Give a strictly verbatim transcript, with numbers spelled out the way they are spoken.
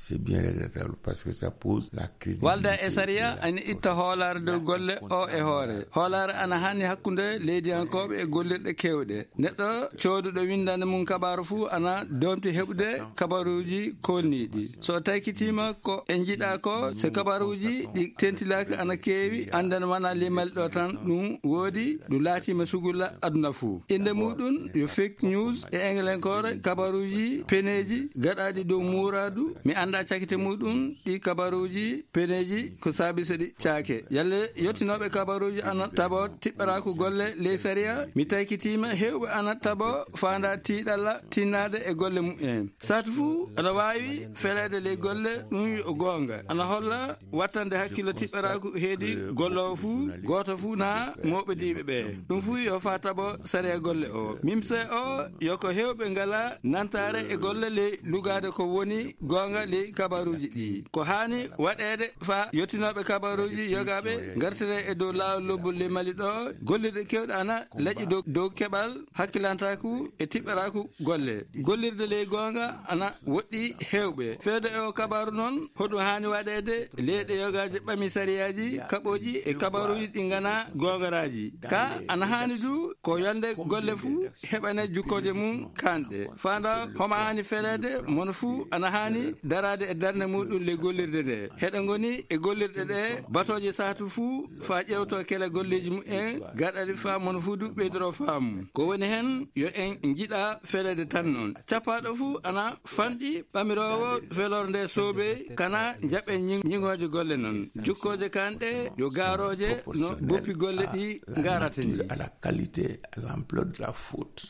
C'est bien regrettable parce que ça pose la crédibilité. Walda e sariya ana itta hoolaare dow golle o e hoore. Hoolaare ana hanni hakkunde leydiyankooɓe e gollirɗe keewɗe. Neɗɗo cooduɗo winndande mum kabaaru fuu ana doomti heɓude kabaaruuji koolniiɗi. So taykitiima ko e njiɗaa ko, so kabaaruuji ɗi tentilaaki ana keewi, anndana wona ley Mali ɗo tan ɗum woodi, ɗum laatiima sugulla aduna fuu. Innde muɗum yo fake news e englenkoore, kabaaruuji peneeji gaɗaaɗi dow muuraadu. Mi anndaa cakite muɗum ɗi kabaaruuji peneeji ko saabi so ɗi caake. Yalla yottinooɓe kabaaruuji ana tabo tiɓɓaraaku golle ley sariya. Mi taykitiima heewɓe ana tabo faanda tiiɗalla tinnaade e golle mumen. Saatu fuu ana waawi feleede ley golle, ɗum yo goonga. Ana holla wattande hakkillo tiɓɓaraaku heedi golloowo fuu, gooto fuu naa mooɓediiɓe ɓe. Ɗum fuu yo faa tabo sariya golle o. Mimse o yo ko heewɓe ngala nantaare e golle ley lugaade ko woni goonga ley kabaaruuji ɗi. Ko haani waɗeede faa yottinooɓe kabaaruuji yogaaɓe ngartire e dow laawol lobbol ley Mali ɗo, gollirɗe keewɗe ana laƴi dow, dow keɓal hakkilantaaku e tiɓɓaraaku golle. Gollirde ley goonga ana woɗɗi heewɓe. Feede e o kabaaru noon, hoɗum haani waɗeede leyɗe yogaaje ɓami sariyaaji kaɓooji e kabaaruuji ɗi nganaa goongaraaji. Ka ana haani du ko yolnde golle fuu heɓane jukkooje mum kanɗe. Faanda homa haani feleede, mono fuu ana haani daraade e darnde muɗum ley gollirde nde. Heɗe ngoni e gollirɗe ɗe batooje saatu fuu faa ƴeewtoo kele golleeji mumen gaɗaɗi faa mono fuu du ɓeydoro faamu. Ko woni heen yo en njiɗa feleede tan noon. Cappaaɗo fuu ana fanɗi ɓamiroowo feloore nde soobey kana njaɓen ñi-, ñiŋooje golle noon. Jukkooje kanɗe yo gaarooje no boppi golle ɗi ngarata ni. À la qualité, à l'ampleur de la faute.